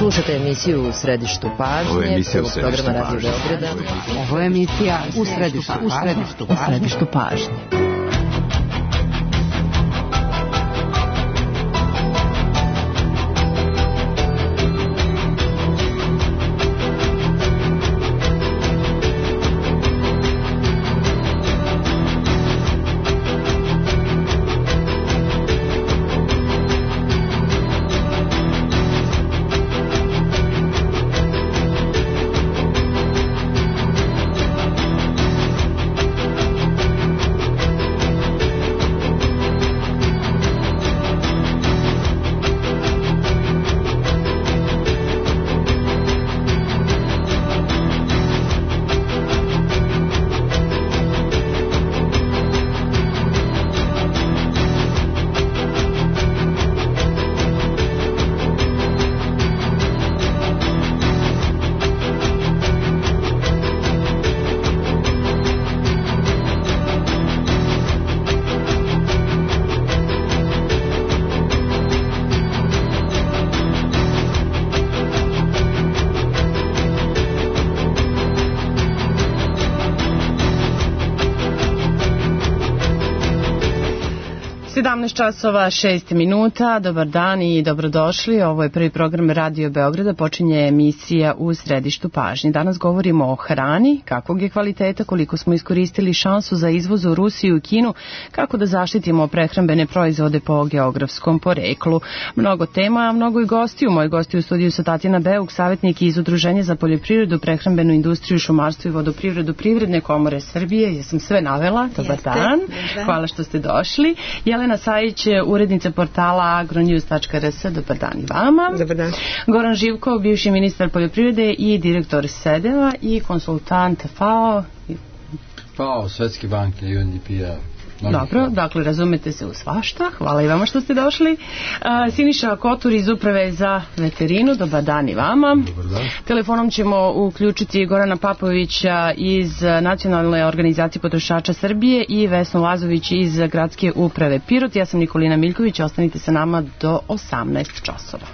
Slušate emisiju U središtu pažnje, prvog programa Radio Beograda. Ovo je emisija U središtu pažnje. Časova 6 minuta, dobar dan i dobrodošli. Ovo je prvi program Radio Beograda, počinje emisija U središtu pažnje. Danas govorimo o hrani, kakvog je kvaliteta, koliko smo iskoristili šansu za izvoz u Rusiju i Kinu, kako da zaštitimo prehrambene proizvode po geografskom poreklu. Mnogo tema, a mnogo i gostiju. Moji gosti u studiju su Tatjana Beuk, savjetnik iz Udruženja za poljoprivredu, prehrambenu industriju, šumarstvo i vodoprivredu Privredne komore Srbije. Ja sam sve navela, dobar dan. Hvala što ste došli. Jelena Sajić, urednica portala agronews.rs, dobar dan i vama. Dobar dan. Goran Živkov, bivši ministar poljoprivrede i direktor SEDEVA i konsultant FAO, Svetske banke i UNDP-a. Dobro, dakle razumete se u svašta. Hvala i vama što ste došli. Siniša Kotur iz Uprave za veterinu, dobar dan i vama. Dobar dan. Telefonom ćemo uključiti Gorana Papovića iz Nacionalne organizacije potrošača Srbije i Vesnu Lazović iz Gradske uprave Pirot. Ja sam Nikolina Miljković, ostanite sa nama do 18 časova.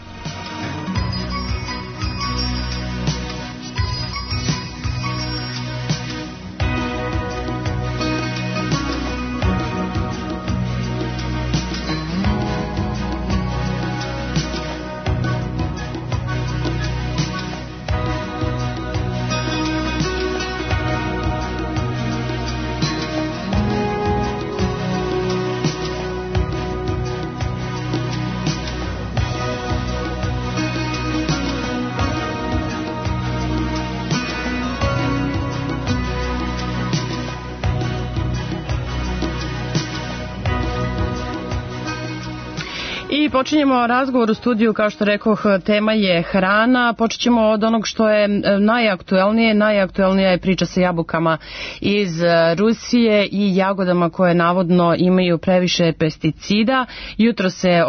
Počinjemo razgovor u studiju, kao što rekoh, tema je hrana. Počet ćemo od onog što je najaktuelnije. Najaktuelnija je priča sa jabukama iz Rusije i jagodama koje navodno imaju previše pesticida. Jutro se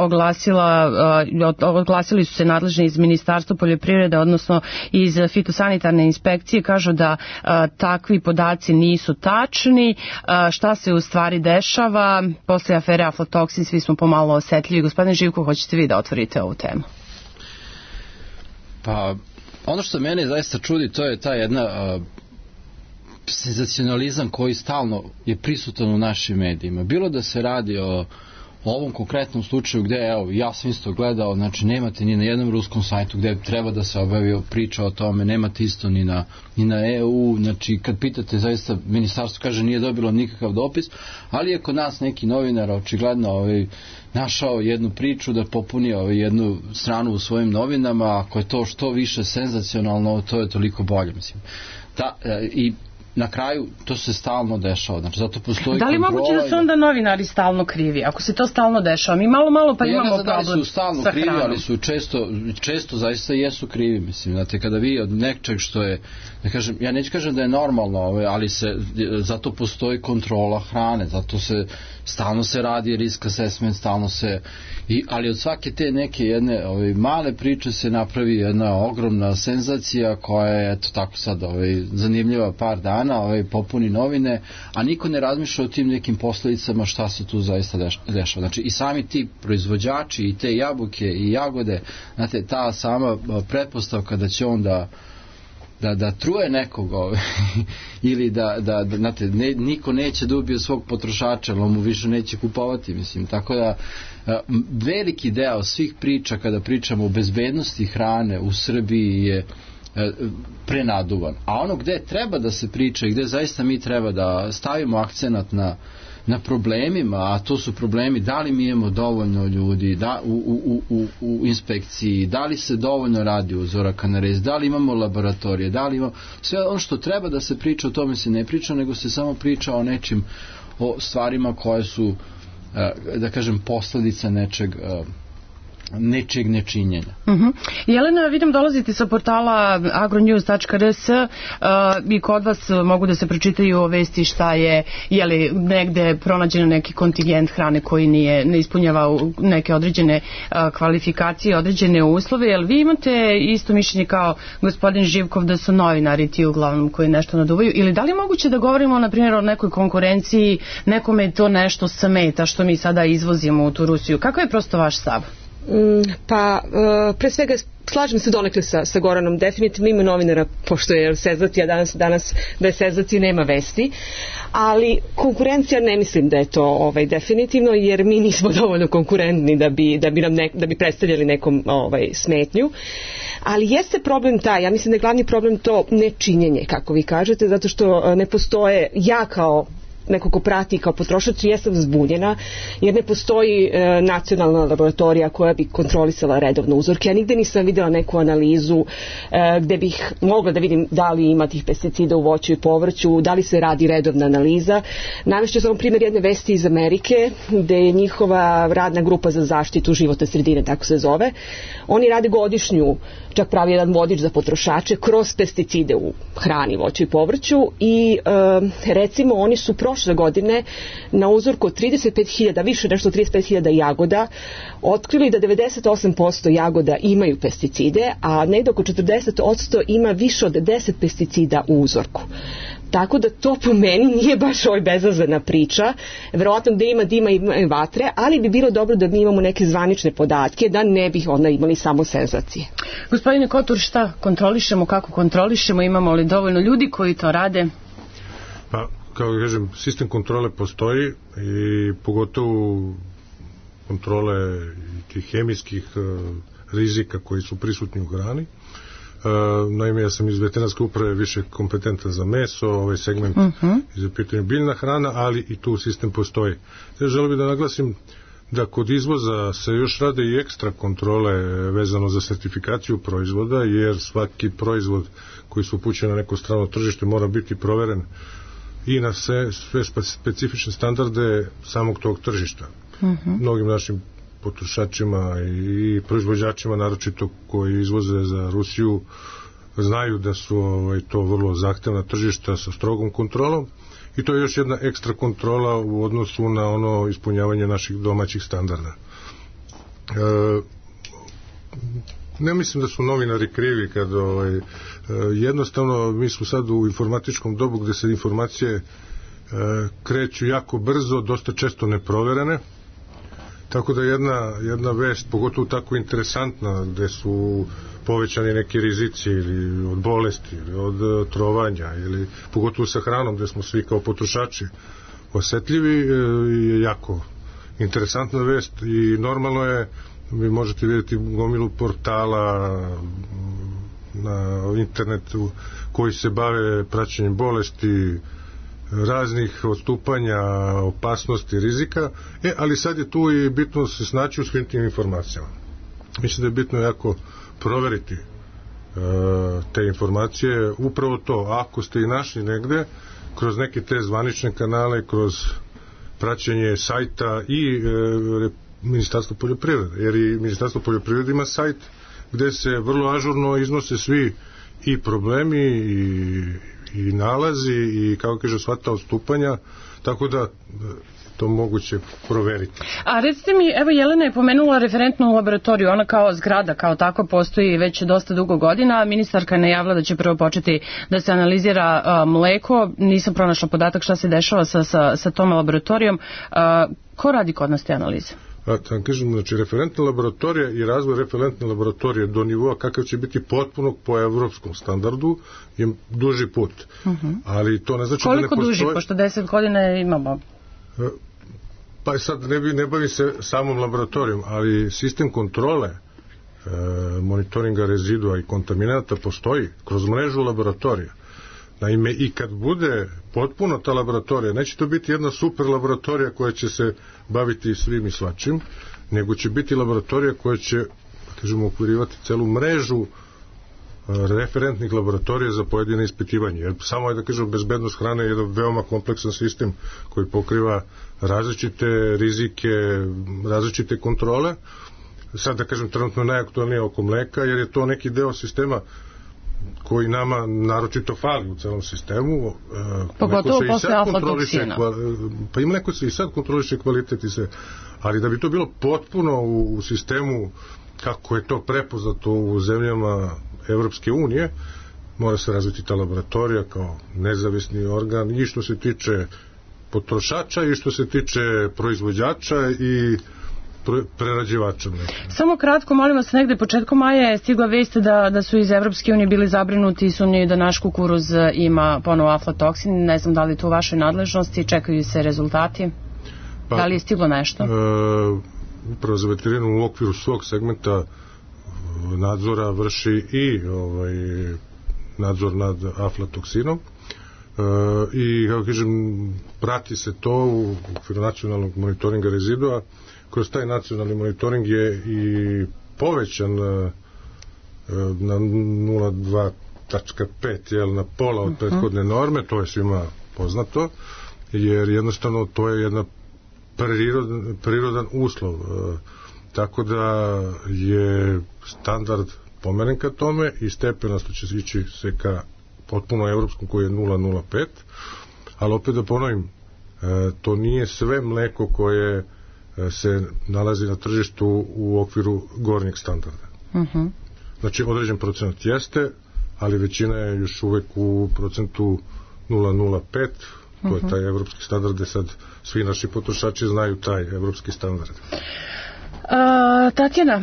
oglasili su se nadležni iz Ministarstva poljoprivrede, odnosno iz fitosanitarne inspekcije. Kažu da takvi podaci nisu tačni. Šta se u stvari dešava? Posle afere aflatoksin svi smo pomalo osetljivi. Gospodine Živko, hoćete vi da otvorite ovu temu? Pa, ono što mene zaista čudi, to je ta jedna senzacionalizam koji stalno je prisutan u našim medijima. Bilo da se radi o ovom konkretnom slučaju gde, evo, ja sam isto gledao, znači nemate ni na jednom ruskom sajtu gde treba da se obavi priča o tome, nemate isto ni na EU, znači kad pitate, zaista ministarstvo kaže nije dobilo nikakav dopis, ali je kod nas neki novinar očigledno našao jednu priču da popuni jednu stranu u svojim novinama. Ako je to što više senzacionalno, to je toliko bolje, mislim. I na kraju to se stalno dešava. Znači, zato postoji da li moguće da su onda novinari stalno krivi? Ako se to stalno dešava, mi malo pa imamo problem sa hranom. Da li su stalno krivi, ali su često zaista jesu krivi. Mislim, znate, kada vi od nečeg što je, da kažem, ja neću kažem da je normalno, ali zato postoji kontrola hrane, zato se stalno se radi risk assessment, stalno se, ali od svake te neke jedne male priče se napravi jedna ogromna senzacija koja je, eto tako sad, zanimljiva par dana, popuni novine, a niko ne razmišlja o tim nekim posledicama šta se tu zaista dešava. Znači i sami ti proizvođači i te jabuke i jagode, znate, ta sama pretpostavka da će on da truje nekoga ili znate, niko neće da ubije svog potrošača, ali on mu više neće kupovati, mislim, tako da veliki deo svih priča kada pričamo o bezbednosti hrane u Srbiji je prenaduvan, a ono gde treba da se priča i gde zaista mi treba da stavimo akcenat na problemima, a to su problemi da li mi imamo dovoljno ljudi u inspekciji, da li se dovoljno radi uzoraka na rez, da li imamo laboratorije, da li imamo sve ono što treba da se priča, o tome se ne priča, nego se samo priča o nečim, o stvarima koje su, da kažem, posledica nečeg nečinjenja. Jelena, vidim dolazite sa portala agronews.rs i kod vas mogu da se pročitaju vesti šta je li negde pronađen neki kontingent hrane koji ne ispunjava neke određene kvalifikacije, određene uslove. Jel vi imate isto mišljenje kao gospodin Živkov da su novinari ti uglavnom koji nešto naduvaju, ili da li je moguće da govorimo na primjer o nekoj konkurenciji, nekome to nešto smeta što mi sada izvozimo u tu Rusiju? Kako je prosto vaš stav? Pa, pre svega slažem se donekle sa Goranom, definitivno ima novinara, pošto je sezati, a danas da je sezati nema vesti, ali konkurencija ne mislim da je to definitivno, jer mi nismo dovoljno konkurentni da bi predstavljali nekom smetnju, ali jeste problem taj, ja mislim da je glavni problem to nečinjenje, kako vi kažete, zato što ne postoje, ja kao neko ko prati kao potrošač, jesam zbunjena jer ne postoji nacionalna laboratorija koja bi kontrolisala redovno uzorke. Ja nigde nisam videla neku analizu gde bih mogla da vidim da li ima tih pesticida u voću i povrću, da li se radi redovna analiza. Navešću samo primjer jedne vesti iz Amerike gde je njihova radna grupa za zaštitu životne sredine, tako se zove. Oni rade godišnju, čak pravi jedan vodič za potrošače kroz pesticide u hrani, voću i povrću i recimo oni su prošle godine na uzorku od 35.000, više nešto 35.000 jagoda otkrili da 98% jagoda imaju pesticide, a negdje oko 40% ima više od 10 pesticida u uzorku. Tako da to po meni nije baš bezazlena priča. Verovatno gde ima dima i vatre, ali bi bilo dobro da mi imamo neke zvanične podatke, da ne bih onda imali samo senzacije. Gospodine Kotur, šta kontrolišemo, kako kontrolišemo, imamo li dovoljno ljudi koji to rade? Pa, kao da kažem, sistem kontrole postoji i pogotovo kontrole tih hemijskih rizika koji su prisutni u hrani. Naime, ja sam iz veterinarske uprave više kompetentan za meso, ovaj segment je za pitanje biljna hrana, ali i tu sistem postoji. Ja želim bih da naglasim da kod izvoza se još rade i ekstra kontrole vezano za sertifikaciju proizvoda, jer svaki proizvod koji se upućuje na neko strano tržište mora biti proveren i na sve specifične standarde samog tog tržišta. Mnogim našim potrošačima i proizvođačima, naročito koji izvoze za Rusiju, znaju da su to vrlo zahtevna tržišta sa strogom kontrolom i to je još jedna ekstra kontrola u odnosu na ono ispunjavanje naših domaćih standarda. Ne mislim da su novinari krivi kad jednostavno mi smo sad u informatičkom dobu gde se informacije kreću jako brzo, dosta često neproverene, tako da jedna vest, pogotovo tako interesantna, gde su povećani neki rizici ili od bolesti ili od trovanja ili pogotovo sa hranom gde smo svi kao potrošači osetljivi, je jako interesantna vest i normalno je, vi možete vidjeti gomilu portala na internetu koji se bave praćenjem bolesti, raznih odstupanja, opasnosti, rizika, ali sad je tu i bitno se snaći u svim tim informacijama. Mislim da je bitno jako proveriti te informacije, upravo to, ako ste i našli negde, kroz neke te zvanične kanale, kroz praćenje sajta i Ministarstvo poljoprivrede, jer i Ministarstvo poljoprivrede ima sajt gde se vrlo ažurno iznose svi i problemi i nalazi i, kako kaže, sva ta odstupanja, tako da to moguće proveriti. A recite mi, evo Jelena je pomenula referentnu laboratoriju, ona kao zgrada, kao tako postoji već dosta dugo godina, ministarka je najavila da će prvo početi da se analizira mleko, nisam pronašla podatak šta se dešava sa tom laboratorijom. Ko radi kod nas te analize? Kažem, znači referentna laboratorija i razvoj referentne laboratorije do nivoa kakav će biti potpuno po evropskom standardu je duži put. Ali to ne znači koliko da ne postoji... duži, pošto 10 godina imamo? Pa sad ne bavi se samom laboratorijom, ali sistem kontrole monitoringa rezidua i kontaminata postoji kroz mrežu laboratorija. Naime, i kad bude potpuno ta laboratorija, neće to biti jedna super laboratorija koja će se baviti svim i svačim, nego će biti laboratorija koja će, kažemo, okvirivati celu mrežu referentnih laboratorija za pojedine ispitivanje. Jer samo je, da kažem, bezbednost hrane je jedan veoma kompleksan sistem koji pokriva različite rizike, različite kontrole. Sad, da kažem, trenutno najaktualnije oko mleka, jer je to neki deo sistema koji nama naročito fali u celom sistemu. Pogotovo posle aflatoksina. Pa i mleko se i sad kontroliše kvalitet i sve. Ali da bi to bilo potpuno u sistemu kako je to prepoznato u zemljama Evropske unije, mora se razviti ta laboratorija kao nezavisni organ i što se tiče potrošača i što se tiče proizvođača i prerađivača. Samo kratko, molim vas, negde početkom maja je stigla vest da su iz Evropske unije bili zabrinuti i sumnjaju da naš kukuruz ima ponovo aflatoksin. Ne znam da li je to u vašoj nadležnosti, čekaju se rezultati. Da li je stiglo nešto? Upravo za veterinu u okviru svog segmenta nadzora vrši i nadzor nad aflatoksinom i, kako kažem, prati se to u okviru nacionalnog monitoringa rezidua. Kroz taj nacionalni monitoring je i povećan na 0,2.5, na pola od prethodne norme, to je svima poznato, jer jednostavno to je jedna prirodan uslov. Tako da je standard pomeren ka tome i stepenasto će ići se ka potpuno evropskom koji je 0,05, ali opet da ponovim, to nije sve mleko koje se nalazi na tržištu u okviru gornjeg standarda. Znači, određen procenat jeste, ali većina je još uvek u procentu 0,05, to je taj evropski standard, gde sad svi naši potrošači znaju taj evropski standard. Tatjana,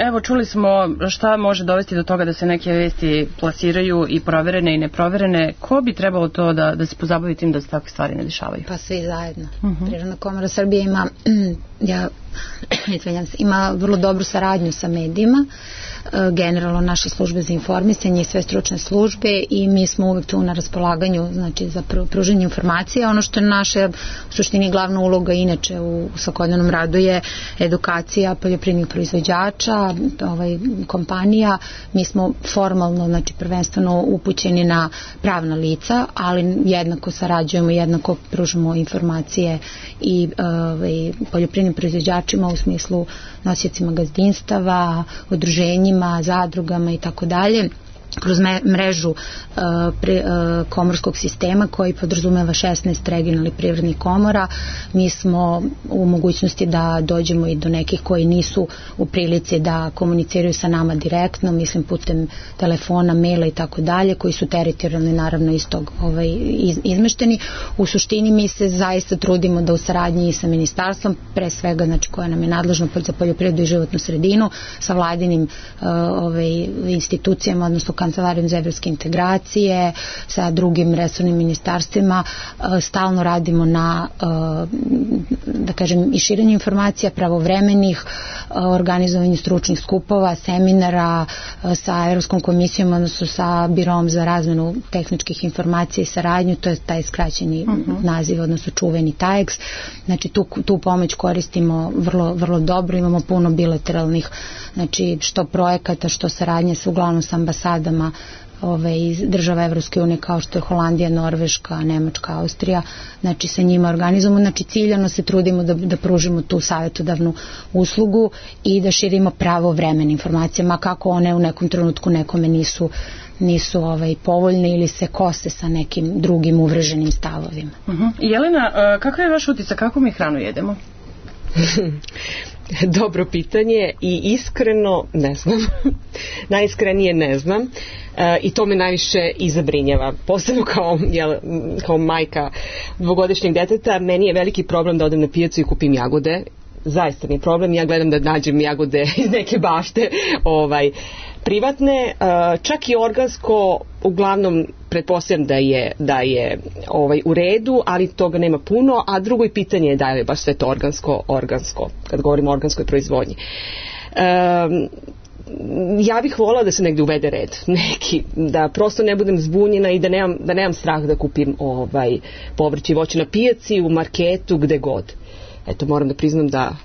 evo čuli smo šta može dovesti do toga da se neke vesti plasiraju i proverene i neproverene. Ko bi trebalo to da se pozabavi tim da se takve stvari ne dešavaju? Pa svi zajedno. Privredna komora Srbije ima vrlo dobru saradnju sa medijima, generalno naše službe za informisanje i sve stručne službe, i mi smo uvek tu na raspolaganju, znači, za pružanje informacija. Ono što je naša u suštini glavna uloga inače u svakodnevnom radu je edukacija poljoprivrednih proizvođača, kompanija. Mi smo formalno, znači prvenstveno upućeni na pravna lica, ali jednako sarađujemo, jednako pružamo informacije i poljoprivrednim proizvođačima u smislu nosiocima gazdinstava, udruženjima, zadrugama i tako dalje, kroz mrežu komorskog sistema koji podrazumeva 16 regionalnih privrednih komora. Mi smo u mogućnosti da dođemo i do nekih koji nisu u prilici da komuniciraju sa nama direktno, mislim putem telefona, maila i tako dalje, koji su teritorijalni naravno istog izmešteni. U suštini mi se zaista trudimo da u saradnji sa ministarstvom, pre svega, znači, koje nam je nadležno za poljoprivredu i životnu sredinu, sa vladinim institucijama, odnosno Kancelarijom za evropske integracije, sa drugim resornim ministarstvima, stalno radimo na, da kažem, i širenju informacija, pravovremenih, organizovanju stručnih skupova, seminara sa Evropskom komisijom, odnosno sa Birom za razmenu tehničkih informacija i saradnju, to je taj skraćeni naziv, odnosno čuveni TAEX. Znači, tu pomoć koristimo vrlo dobro, imamo puno bilateralnih, znači, što projekata, što saradnje uglavnom sa ambasadama iz država Evropske unije kao što je Holandija, Norveška, Nemačka, Austrija, znači sa njima organizujemo, znači ciljano se trudimo da pružimo tu savjetodavnu uslugu i da širimo pravovremene informacije, ma kako one u nekom trenutku nekome nisu povoljne ili se kose sa nekim drugim uvreženim stavovima. Jelena, kakav je vaš utisak, kako mi hranu jedemo? Dobro pitanje i iskreno ne znam. Najiskrenije ne znam. I to me najviše i zabrinjava. Posebno kao majka dvogodišnjeg deteta, meni je veliki problem da odem na pijacu i kupim jagode. Zaista mi je problem, ja gledam da nađem jagode iz neke bašte privatne, čak i organsko, uglavnom pretpostavljam da je u redu, ali toga nema puno, a drugo je pitanje da je baš sve to organsko, kad govorimo o organskoj proizvodnji. Ja bih volila da se negde uvede red, neki, da prosto ne budem zbunjena i da nemam strah da kupim povrće i voće na pijaci, u marketu, gde god. Eto, moram da priznam da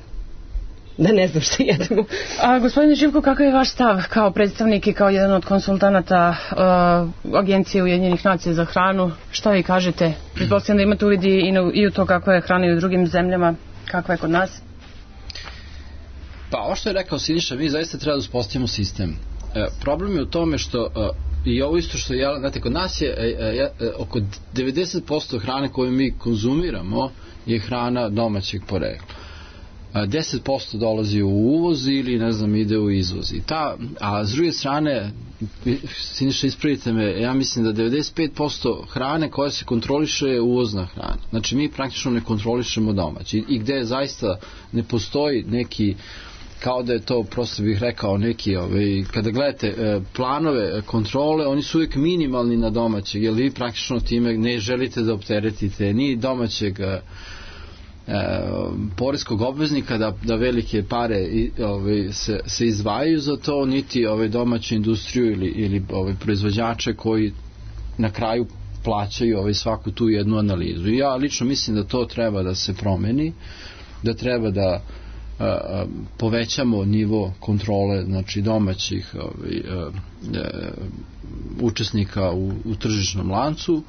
ne znam što jedemo. A gospodine Živko, kakav je vaš stav kao predstavnik i kao jedan od konsultanata Agencije Ujedinjenih nacija za hranu? Šta vi kažete? Pretpostavljam da imate uvid i u to kakva je hrana i u drugim zemljama, kakva je kod nas? Pa, ovo što je rekao Siniša, mi zaista treba da uspostavimo sistem. Problem je u tome što i ovo isto što je, znate, kod nas je oko 90% hrane koju mi konzumiramo je hrana domaćeg porekla. 10% dolazi u uvoz ili, ne znam, ide u izvoz. A s druge strane, Siniša, ispravite me, ja mislim da 95% hrane koja se kontroliše je uvozna hrana. Znači, mi praktično ne kontrolišemo domaći. I gde zaista ne postoji neki, kao da je to, prosto bih rekao, neki, kada gledate planove kontrole, oni su uvijek minimalni na domaćeg, jer vi praktično time ne želite da opteretite ni domaćeg poreskog obveznika da velike pare se izdvajaju za to, niti domaću industriju ili proizvođače koji na kraju plaćaju svaku tu jednu analizu. I ja lično mislim da to treba da se promeni, da treba da povećamo nivo kontrole, znači domaćih učesnika u tržišnom lancu,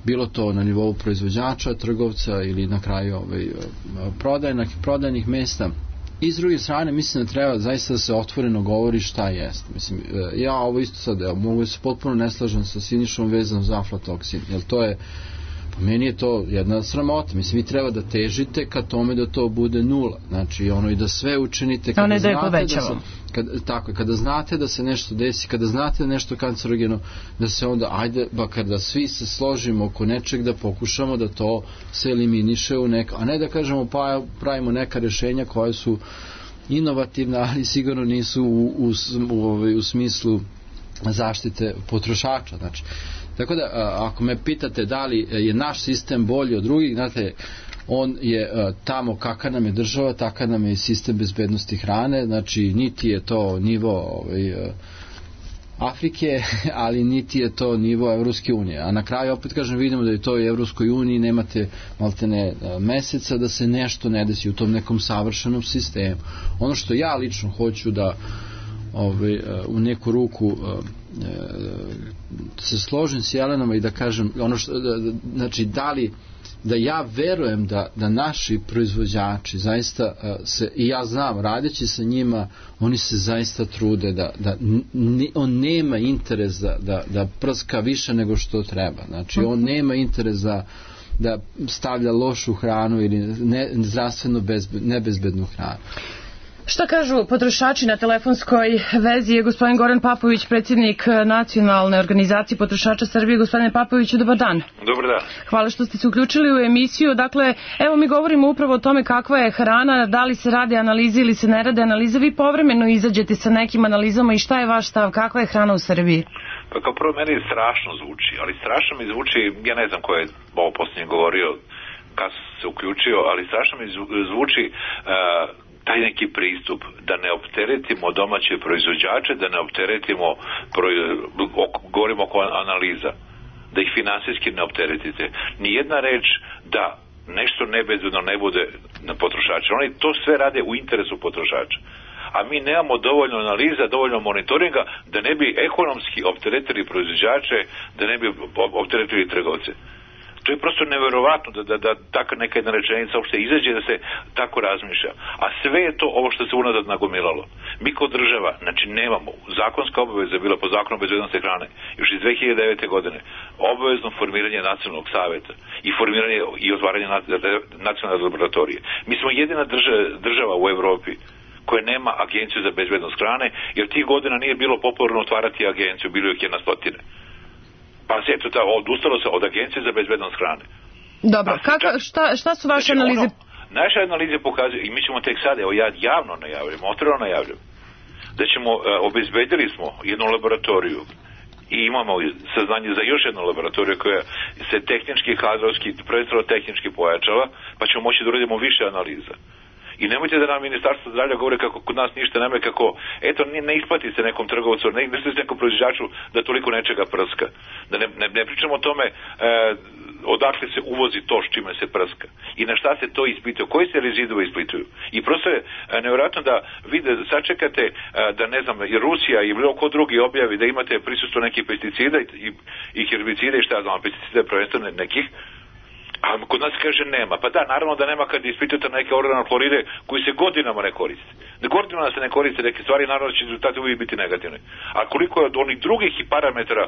bilo to na nivou proizvođača, trgovca ili na kraju prodajnih mesta. I s druge strane, mislim da treba zaista da se otvoreno govori šta jest. Mislim, ja ovo isto sad, mogu se potpuno ne slažem sa Sinišom vezano za aflatoksin, jer to je, po meni je to jedna sramota. Mislim, vi treba da težite ka tome da to bude nula. Znači, i da sve učinite kada znate da se nešto desi, kada znate da nešto kancerogeno, da se onda, ajde, kada svi se složimo oko nečeg, da pokušamo da to se eliminiše a ne da kažemo pa pravimo neka rješenja koja su inovativna, ali sigurno nisu u smislu zaštite potrošača. Znači, tako da, ako me pitate da li je naš sistem bolji od drugih, znate, on je tamo kakva nam je država, takav nam je i sistem bezbednosti hrane, znači niti je to nivo Afrike, ali niti je to nivo Evropske unije. A na kraju, opet kažem, vidimo da je to i Evropskoj uniji, nemate maltene meseca da se nešto ne desi u tom nekom savršenom sistemu. Ono što ja lično hoću da u neku ruku se složim s Jelenama i da kažem znači da ja verujem da naši proizvođači zaista i ja znam, radeći sa njima, oni se zaista trude da on nema interes da prska više nego što treba. Znači, on nema interes da stavlja lošu hranu ili zdravstveno nebezbednu hranu. Šta kažu potrošači na telefonskoj vezi? Je gospodin Goran Papović, predsjednik Nacionalne organizacije potrošača Srbije. Gospodine Papoviću, dobar dan. Dobar dan. Hvala što ste se uključili u emisiju. Dakle, evo mi govorimo upravo o tome kakva je hrana, da li se rade analize ili se ne rade analize. Vi povremeno izađete sa nekim analizama i šta je vaš stav? Kakva je hrana u Srbiji? Pa kao prvo, meni strašno zvuči, ali strašno mi zvuči, ja ne znam ko je ovo posljednje govorio, kad se uključio, ali strašno mi zvuči taj neki pristup da ne opteretimo domaće proizvođače, da ne opteretimo, govorimo oko analiza, da ih finansijski ne opteretite. Nijedna reč da nešto nebezbedno ne bude na potrošača. Oni to sve rade u interesu potrošača. a mi nemamo dovoljno analiza, dovoljno monitoringa da ne bi ekonomski opteretili proizvođače, da ne bi opteretili trgovce. To je prosto neverovatno da taka neka jedna rečenica uopšte izađe da se tako razmišlja. A sve je to ovo što se unazad nagomilalo. Mi kao država, znači nemamo, zakonska obaveza je bila po zakonu o bezbednosti hrane još iz 2009. godine, obavezno formiranje nacionalnog saveta i formiranje i otvaranje nacionalne laboratorije. Mi smo jedina država u Evropi koja nema agenciju za bezbednost hrane, jer tih godina nije bilo popularno otvarati agenciju, bilo ih 100. Pa se eto, odustalo se od agencije za bezbednost hrane. Dobro, šta su vaše analize? Naše analize pokazuju, i mi ćemo tek sad, evo ja javno najavljam, otvoreno najavljam, da ćemo, obezbedili smo jednu laboratoriju i imamo saznanje za još jednu laboratoriju koja se tehnički, kadrovski, prvenstveno tehnički pojačava, pa ćemo moći da uradimo više analiza. I nemojte da nam Ministarstvo zdravlja govore kako kod nas ništa nema, kako, eto, ne isplati se nekom trgovcu, ne isplati se nekom proizvođaču da toliko nečega prska. Da ne pričamo o tome odakle se uvozi to s čime se prska. I na šta se to ispituje, koji se rezidue ispituju. I prosto je nevjerojatno da vi sačekate da, ne znam, i Rusija i bilo ko drugi objavi da imate prisustvo nekih pesticida i herbicida i šta znam, pesticida prvenstveno nekih, a kod nas kaže nema. Pa da, naravno da nema kad ispitujete neke organokloride koji se godinama ne koriste. Godinama se ne koriste neke stvari, naravno će rezultati uvijek biti negativni. A koliko je od onih drugih parametara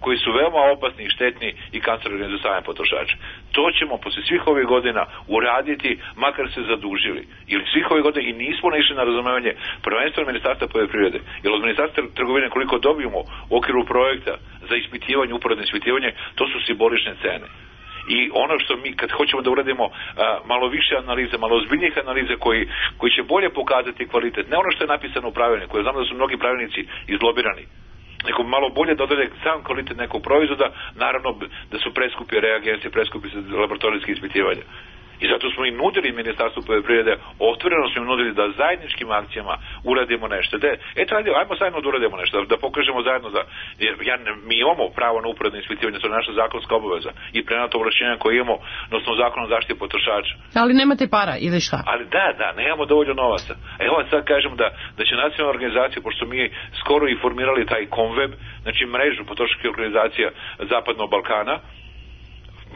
koji su veoma opasni i štetni i kancerogeni za same potrošače. To ćemo posle svih ovih godina uraditi, makar se zadužili. Ili svih ovih godina i nismo naišli na razumevanje prvenstveno Ministarstva poljoprivrede. Jer od Ministarstva trgovine koliko dobijemo u okviru projekta za ispitivanje, uporedno ispitivanje, to su simbolične cene. I ono što mi kad hoćemo da uradimo malo više analize, malo ozbiljnijih analiza koji će bolje pokazati kvalitet, ne ono što je napisano u pravilniku, ja znam da su mnogi pravilnici izlobirani, nego malo bolje da odrede sam kvalitet nekog proizvoda, naravno da su preskupi reagensi, preskupi laboratorijski ispitivanja. I zato smo i nudili Ministarstvu poljoprivrede, otvoreno smo im nudili da zajedničkim akcijama uradimo nešto. Eto, ajmo zajedno da uradimo nešto, da pokažemo zajedno da mi imamo pravo na uporedno ispitivanje, to je naša zakonska obaveza i prenato ovlašćenja koje imamo na osnovu zakona o zaštiti potrošača. Ali nemate para ili šta? Ali da, nemamo dovoljno novaca. Evo sad kažem da će nacionalna organizacija, pošto mi skoro i formirali taj Conweb, znači mrežu potrošačkih organizacija Zapadnog Balkana,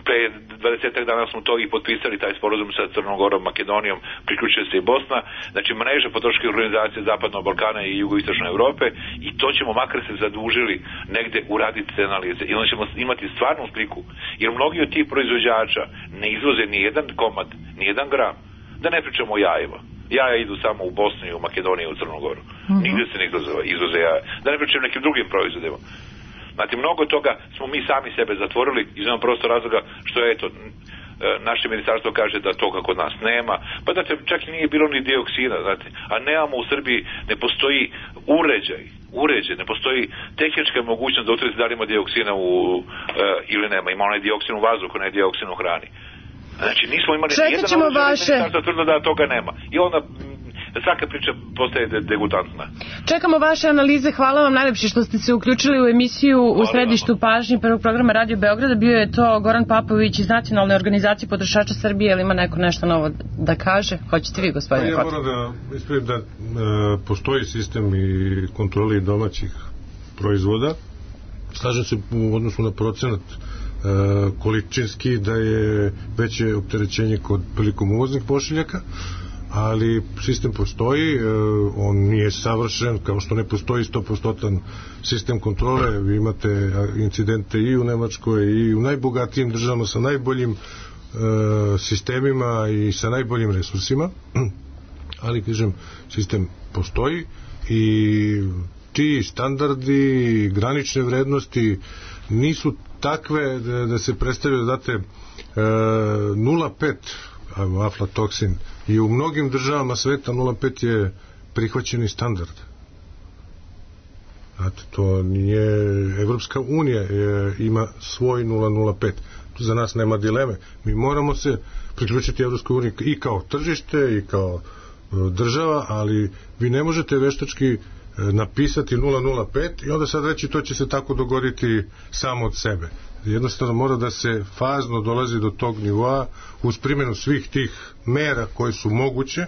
pre 20 dana smo to i potpisali, taj sporazum sa Crnom Gorom, Makedonijom, priključuje se i Bosna, znači mreža potrošačkih organizacija Zapadnog Balkana i jugoistočne Evrope, i to ćemo, makar se zadužili, negde uraditi te analize i onda ćemo imati stvarnu sliku, jer mnogi od tih proizvođača ne izvoze ni jedan komad, ni jedan gram, da ne pričamo o jajima. Jaja idu samo u Bosnu i u Makedoniju i u Crnu Goru. Nigde se ne izvoze jaja. Da ne pričamo nekim drugim proizvodima. Znate, mnogo toga smo mi sami sebe zatvorili iz jednog prosto razloga što je, eto, naše ministarstvo kaže da toga kod nas nema, pa da čak i nije bilo ni dioksina, znate, a nemamo u Srbiji, ne postoji uređaj, ne postoji tehnička mogućnost da utvrdite da li ima dioksina ili nema, ima onaj dioksin u vazduhu, ne dioksin u hrani. Znači, nismo imali nijedan ministarstvo tvrdo da toga nema. I onda svaka priča postaje degutantna. Čekamo vaše analize, hvala vam najlepše što ste se uključili u emisiju u središtu pažnje prvog programa Radio Beograda. Bio je to Goran Papović iz Nacionalne organizacije potrošača Srbije. Ili ima neko nešto novo da kaže? Hoćete vi, gospodine Kotar? Ja moram da ispravim da postoji sistem i kontroli domaćih proizvoda. Slažem se u odnosu na procenat količinski da je veće opterećenje prilikom uvoznih pošiljaka, ali sistem postoji, on nije savršen, kao što ne postoji 100% sistem kontrole. Vi imate incidente i u Nemačkoj i u najbogatijim državama sa najboljim sistemima i sa najboljim resursima, ali kažem, sistem postoji i ti standardi, granične vrednosti nisu takve da se predstavlja, znate, 0,5 aflatoksin i u mnogim državama sveta 0,5 je prihvaćeni standard. Znate, to nije, Evropska unija ima svoj 0,05. Tu za nas nema dileme. Mi moramo se priključiti Evropskoj uniji i kao tržište i kao država, ali vi ne možete veštački napisati 005 i onda sad reći to će se tako dogoditi samo od sebe. Jednostavno mora da se fazno dolazi do tog nivoa uz primjenu svih tih mera koje su moguće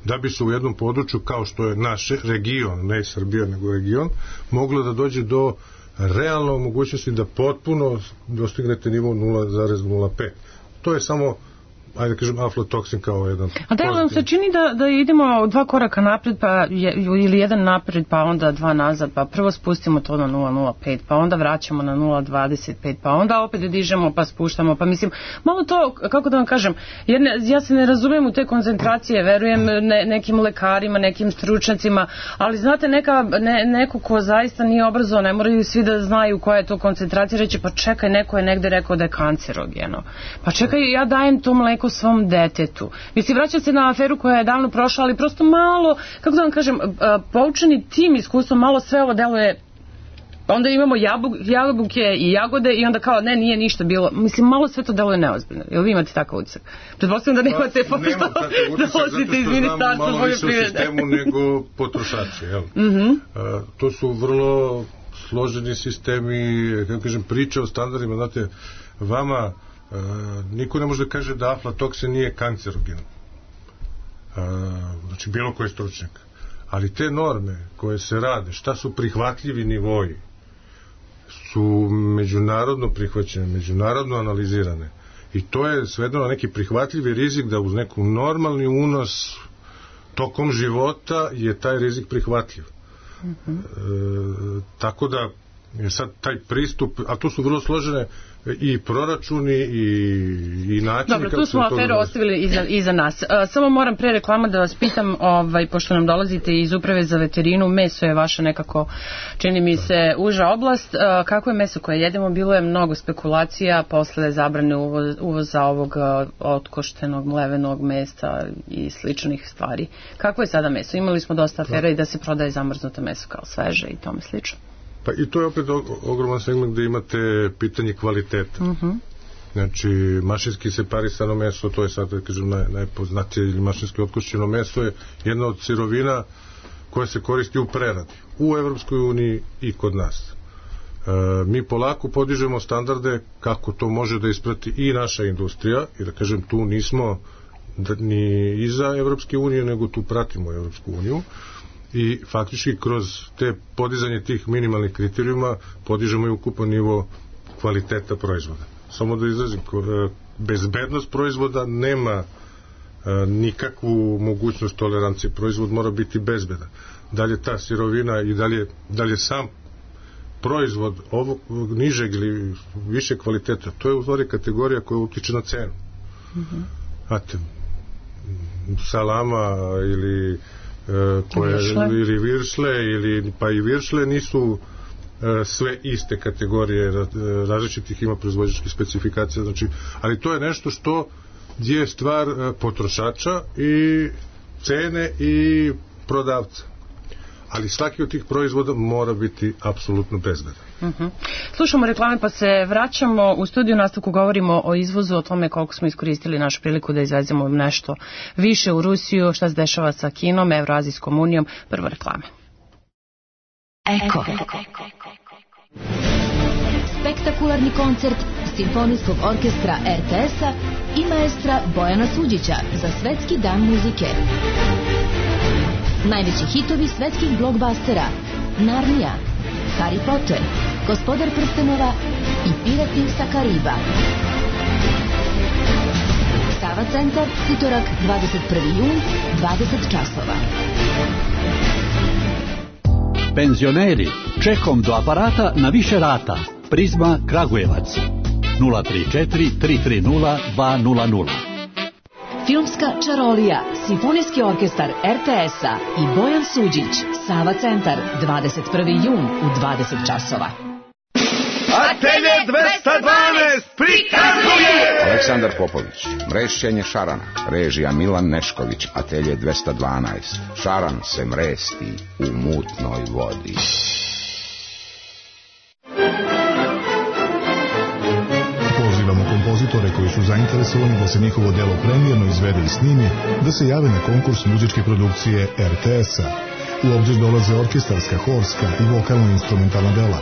da bi se u jednom području kao što je naš region, ne Srbija nego region, moglo da dođe do realno mogućnosti da potpuno dostignete nivo 0,05. To je samo, ajde da kažem, aflatoksin kao jedan... A da vam se čini da idemo 2 koraka napred, ili jedan napred, pa onda 2 nazad, pa prvo spustimo to na 0,05, pa onda vraćamo na 0,25, pa onda opet dižemo, pa spuštamo, pa mislim, malo to, kako da vam kažem, jer ja se ne razumijem u te koncentracije, verujem nekim lekarima, nekim stručnjacima, ali znate, neko ko zaista nije obrazovan, ne moraju svi da znaju koja je to koncentracija, reći, pa čekaj, neko je negde rekao da je kancerogeno, pa čekaj, ja dajem to mleko svom detetu. Mislim, vraća se na aferu koja je davno prošla, ali prosto malo, kako da vam kažem, poučeni tim iskustvom, malo sve ovo deluje, onda imamo jabuke i jagode i onda kao, ne, nije ništa bilo. Mislim, malo sve to deluje neozbiljno. Jel vi imate takav utisak? Pretpostavljam da nemate, pošto dolazite iz ministarstva poljoprivrede. Malo više u sistemu nego potrošači, jel? To su vrlo složeni sistemi, kako kažem, priče o standardima, znate, vama niko ne može da kaže da aflatoksin nije kancerogen, znači bilo koji stručnjak, ali te norme koje se rade, šta su prihvatljivi nivoji, su međunarodno prihvaćene, međunarodno analizirane i to je svedeno na neki prihvatljivi rizik da uz neku normalni unos tokom života je taj rizik prihvatljiv. Tako da je sad taj pristup, a to su vrlo složene i proračuni i načini. Dobro, tu smo aferu ostavili iza nas. Samo moram pre reklama da vas pitam, pošto nam dolazite iz Uprave za veterinu, meso je vaša nekako, čini mi se, uža oblast. Kako je meso koje jedemo? Bilo je mnogo spekulacija posle zabrane uvoza ovog otkoštenog mlevenog mesa i sličnih stvari. Kako je sada meso? Imali smo dosta afera i da se prodaje zamrznuto meso kao sveže i tome slično. Pa i to je opet ogroman segment gde imate pitanje kvaliteta. Znači, mašinski separisano meso, to je sad, da kažem, najpoznatije, ili mašinski otkošćeno meso je jedna od sirovina koja se koristi u preradi u Evropskoj uniji i kod nas. Mi polako podižemo standarde kako to može da isprati i naša industrija, i da kažem, tu nismo ni iza Evropske unije, nego tu pratimo Evropsku uniju. I faktički kroz te podizanje tih minimalnih kriterijuma podižemo i ukupan nivo kvaliteta proizvoda. Samo da izrazim, bezbednost proizvoda nema nikakvu mogućnost tolerancije. Proizvod mora biti bezbedan. Dalje ta sirovina i dalje sam proizvod ovog nižeg ili više kvaliteta, to je u stvari kategorija koja utiče na cenu. Znate, salama ili ili viršle, pa i viršle nisu sve iste kategorije, različitih ima proizvođačkih specifikacija, znači, ali to je nešto što je stvar potrošača i cene i prodavca. Ali svaki od tih proizvoda mora biti apsolutno bezbedan. Slušamo reklame pa se vraćamo u studiju, nastavku govorimo o izvozu, o tome koliko smo iskoristili našu priliku da izvezemo nešto više u Rusiju, šta se dešava sa Kinom, Evroazijskom unijom. Prvo reklame. Eko. Spektakularni koncert Simfonijskog orkestra RTS-a i maestra Bojana Suđića za Svetski dan muzike. Najveći hitovi svetskih blockbustera: Narnija, Harry Potter, Gospodar prstenova i Pirati sa Kariba. Sava centar, utorak 21. jun, 20 časova. Penzioneri, čekom do aparata na više rata. Prizma Kragujevac 034 330 200. Filmska čarolija, Simfonijski orkestar RTS-a i Bojan Suđić, Sava centar, 21. jun u 20 časova. Atelje 212 prikazuje Aleksandar Popović, mrešćenje šarana, režija Milan Nešković. Atelje 212, šaran se mresti u mutnoj vodi. Pozivamo kompozitore koji su zainteresovani da se njihovo delo premijerno izvede i snimi, da se jave na konkurs muzičke produkcije RTS-a. U obzir dolaze orkestarska, horska i vokalno-instrumentalna dela.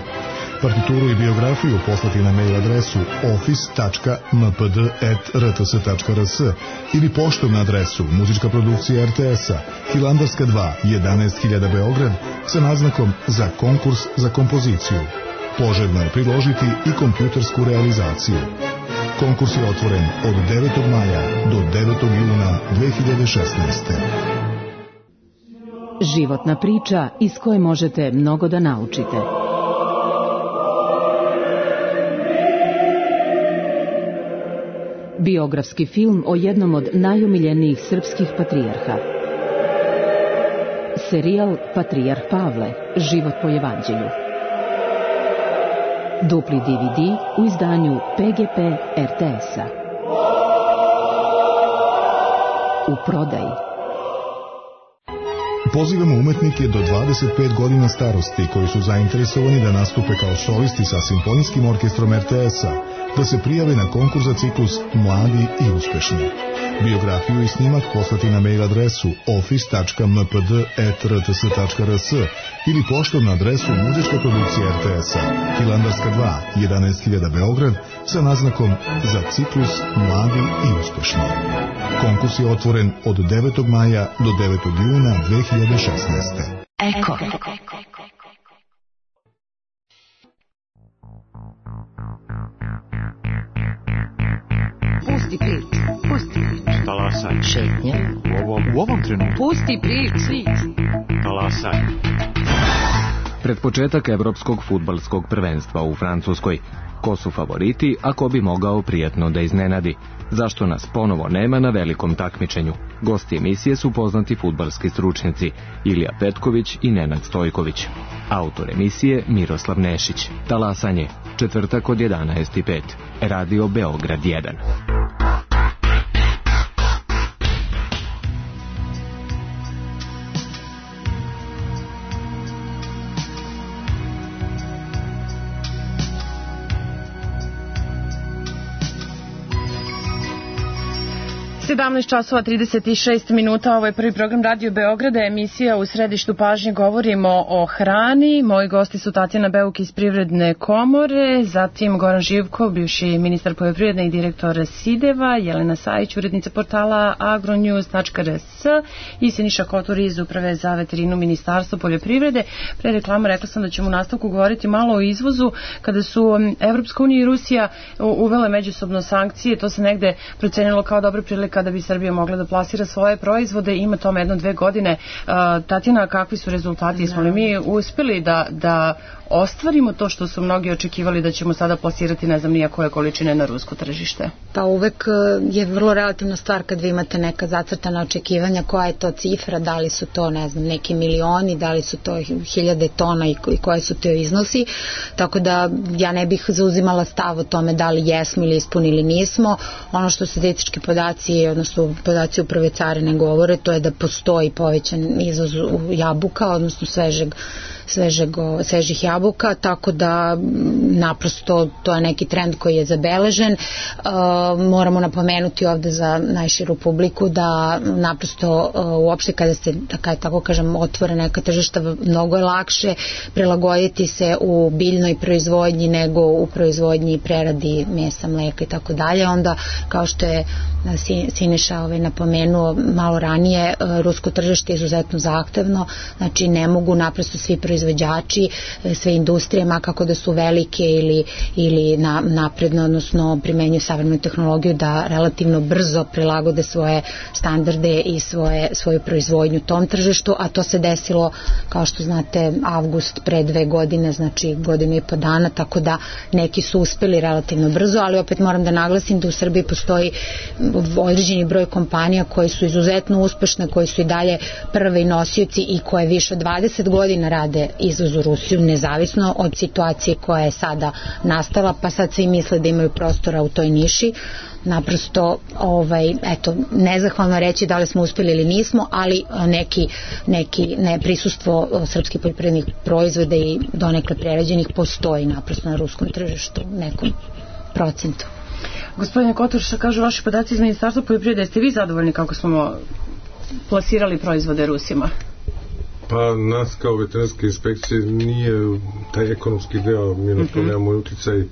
Partituru i biografiju poslati na mail adresu office.mpd@rts.rs ili poštom na adresu Muzička produkcija RTS-a, Hilandarska 2, 11.000 Beograd, sa naznakom za konkurs za kompoziciju. Poželjno je priložiti i kompjutersku realizaciju. Konkurs je otvoren od 9. maja do 9. juna 2016. Životna priča iz koje možete mnogo da naučite. Biografski film o jednom od najomiljenijih srpskih patrijarha. Serijal Patrijarh Pavle, život po evanđelju. Dupli DVD u izdanju PGP RTS-a. U prodaji. Pozivamo umetnike do 25 godina starosti koji su zainteresovani da nastupe kao solisti sa Simfonijskim orkestrom RTS-a, da se prijave na konkurs za ciklus Mladi i uspešni. Biografiju i snimak poslati na mail adresu office.mpd@rts.rs ili poštom na adresu Muzička produkcija RTS-a, Hilandarska 2, 11.000 Beograd, sa naznakom za ciklus Mladi i uspešni. Konkurs je otvoren od 9. maja do 9. juna 2016. Eko. Pusti priču. Talasaj. Šetnja. U ovom trenutku. Pusti priču. Talasaj. Pred početak evropskog fudbalskog prvenstva u Francuskoj. Ko su favoriti, a ko bi mogao prijatno da iznenadi? Zašto nas ponovo nema na velikom takmičenju? Gosti emisije su poznati fudbalski stručnjaci Ilija Petković i Nenad Stojković. Autor emisije Miroslav Nešić. Talasanje, četvrtak od 11:05. Radio Beograd 1. časova 36 minuta, ovo je prvi program Radio Beograda, emisija U središtu pažnje, govorimo o hrani. Moji gosti su Tatjana Beuk iz Privredne komore, zatim Goran Živkov, bivši ministar poljoprivrede i direktor Sideva, Jelena Sajić, urednica portala agronews.rs i Siniša Kotur iz Uprave za veterinu Ministarstva poljoprivrede. Pre reklama rekla sam da ćemo u nastavku govoriti malo o izvozu. Kada su Evropska unija i Rusija uvele međusobno sankcije, to se negde procenilo kao dobra prilika da bi Srbija mogla da plasira svoje proizvode. Ima tome 1-2 godine. Tatjana, kakvi su rezultati? Smo li mi uspeli da ostvarimo to što su mnogi očekivali da ćemo sada plasirati ne znam nija koje količine na rusko tržište? Pa uvek je vrlo relativna stvar kad vi imate neka zacrtana očekivanja, koja je to cifra, da li su to ne znam neki milioni, da li su to 1000 tona i koje su to iznosi, tako da ja ne bih zauzimala stav o tome da li jesmo ili ispunili nismo. Ono što statistički podaci, odnosno podaci Uprave carine govore, to je da postoji povećan izvoz jabuka, odnosno svežih jabuka, tako da naprosto to je neki trend koji je zabeležen. Moramo napomenuti ovde za najširu publiku da naprosto uopšte kada ste, tako kažem, otvore neka tržišta, mnogo je lakše prilagoditi se u biljnoj proizvodnji nego u proizvodnji i preradi mesa, mleka i tako dalje. Onda, kao što je Siniša napomenuo malo ranije, rusko tržište je izuzetno zahtevno, znači ne mogu naprosto svi proizvođači, sve industrije, makako da su velike ili napredno, odnosno primenjuju savremenu tehnologiju, da relativno brzo prilagode svoje standarde i svoju proizvodnju tom tržištu, a to se desilo, kao što znate, avgust pre 2 godine, znači 1.5 godina, tako da neki su uspeli relativno brzo, ali opet moram da naglasim da u Srbiji postoji određeni broj kompanija koje su izuzetno uspešne, koje su i dalje prvi nosioci i koje više od 20 godina rade izvoz u Rusiju, nezavisno od situacije koja je sada nastala, pa sad svi misle da imaju prostora u toj niši. Naprosto, nezahvalno reći da li smo uspeli ili nismo, ali neki prisustvo srpskih poljoprivrednih proizvoda i donekle prerađenih postoji naprosto na ruskom tržištu u nekom procentu. Gospodine Kotor, što kažu vaši podaci iz Ministarstva poljoprivrede, jeste vi zadovoljni kako smo plasirali proizvode Rusima? Pa Pa nas kao veterinarske inspekcije nije taj ekonomski deo, mi na to nemamo uticaj,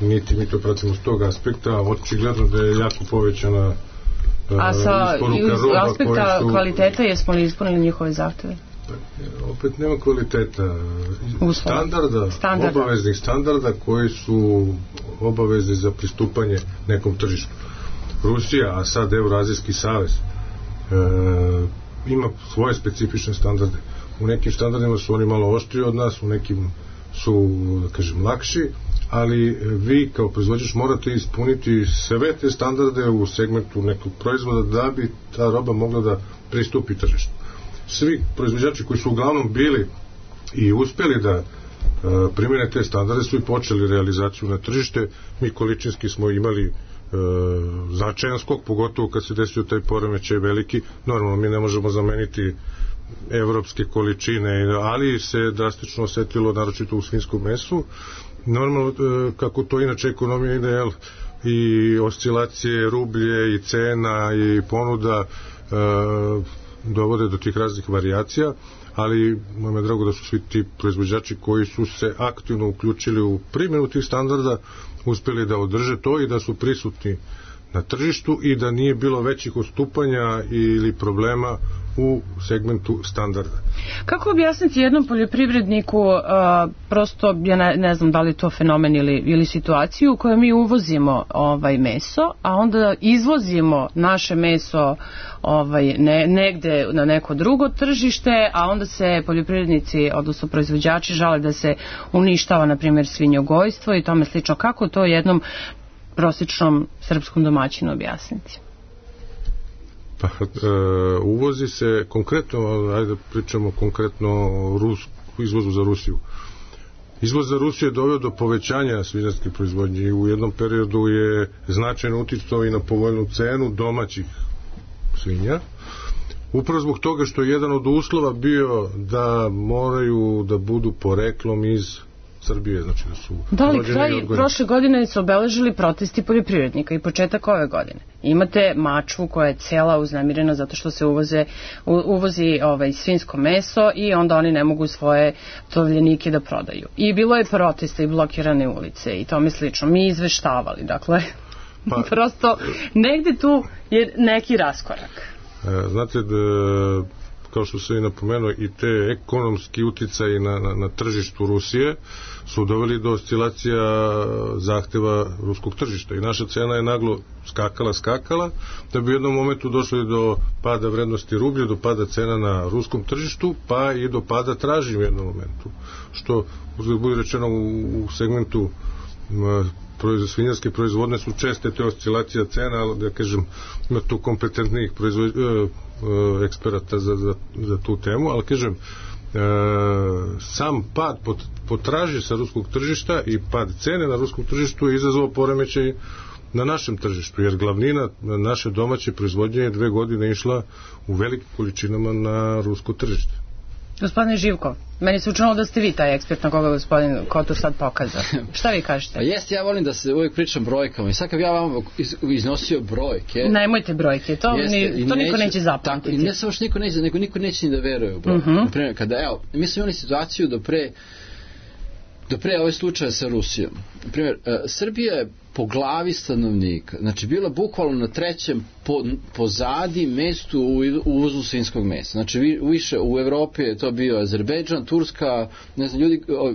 niti mi to pratimo s tog aspekta. Očigledno da je jako povećana a sa aspekta kvaliteta jesmo li ispunili njihove zahteve? Opet nema kvaliteta obaveznih standarda koji su obavezni za pristupanje nekom tržištu. Rusija, a sad Evroazijski savez ima svoje specifične standarde. U nekim standardima su oni malo oštriji od nas, u nekim su, da kažem, lakši, ali vi kao proizvođač morate ispuniti sve te standarde u segmentu nekog proizvoda da bi ta roba mogla da pristupi tržištu. Svi proizvođači koji su uglavnom bili i uspeli da primjene te standarde su i počeli realizaciju na tržište. Mi količinski smo imali značajan skok, pogotovo kad se desio taj poremećaj veliki. Normalno mi ne možemo zameniti evropske količine, ali se drastično osetilo naročito u svinjskom mesu. Normalno, kako to inače ekonomija ide, i oscilacije rublje i cena i ponuda dovode do tih raznih varijacija, ali moj me drago da su svi ti proizvođači koji su se aktivno uključili u primjenu tih standarda uspjeli da održe to i da su prisutni na tržištu i da nije bilo većih odstupanja ili problema u segmentu standarda. Kako objasniti jednom poljoprivredniku, prosto ja ne znam da li je to fenomen ili situaciju u kojoj mi uvozimo meso, a onda izvozimo naše meso negde na neko drugo tržište, a onda se poljoprivrednici, odnosno proizvođači, žale da se uništava, na primjer, svinjogojstvo i tome slično. Kako to jednom prosječnom srpskom domaćinu objasniti? Pa, uvozi se konkretno, ajde pričamo konkretno o izvozu za Rusiju. Izvoz za Rusiju je doveo do povećanja svinjarske proizvodnje i u jednom periodu je značajno uticao i na povoljnu cenu domaćih svinja. Upravo zbog toga što je jedan od uslova bio da moraju da budu poreklom iz Srbije, znači da su kraj prošle godine su obeležili protesti poljoprivrednika i početak ove godine. Imate Mačvu koja je cela uznemirena zato što se uvozi svinjsko meso i onda oni ne mogu svoje tovljenike da prodaju. I bilo je protesta i blokirane ulice i tome slično. Mi izveštavali, dakle, prosto negde tu je neki raskorak. Znate, kao što se i napomenuo, i te ekonomski uticaji na tržištu Rusije su doveli do oscilacija zahteva ruskog tržišta i naša cena je naglo skakala, da bi u jednom momentu došli do pada vrednosti rublja, do pada cena na ruskom tržištu, pa i do pada traži u jednom momentu, što bude rečeno u segmentu svinjarske proizvodne su česte te oscilacije cena, ali da kažem ima tu kompetentnih eksperata za tu temu, ali kažem sam pad potražnje sa ruskog tržišta i pad cene na ruskom tržištu je izazvao poremećaj na našem tržištu, jer glavnina naše domaće proizvodnje je 2 godine išla u velikim količinama na rusko tržište. Gospodine Živko, meni se učinilo da ste vi taj ekspert na koga gospodin Kotur sad pokazao. Šta vi kažete? Jeste, ja volim da se uvijek pričam brojkama i sad kad ja vam iznosio brojke... Nemojte brojke, to niko neće zapamtiti. I ne samo što niko neće, nego niko neće ni da veruje u brojke. Naprimjer, kada, mi smo imali situaciju do pre ovaj slučaja sa Rusijom. Naprimjer, Srbija je po glavi stanovnika, znači bila bukvalno na 3. pozadi mestu u uvozu svinjskog mesa. Znači više u Evropi je to bio Azerbejdžan, Turska, ne znam,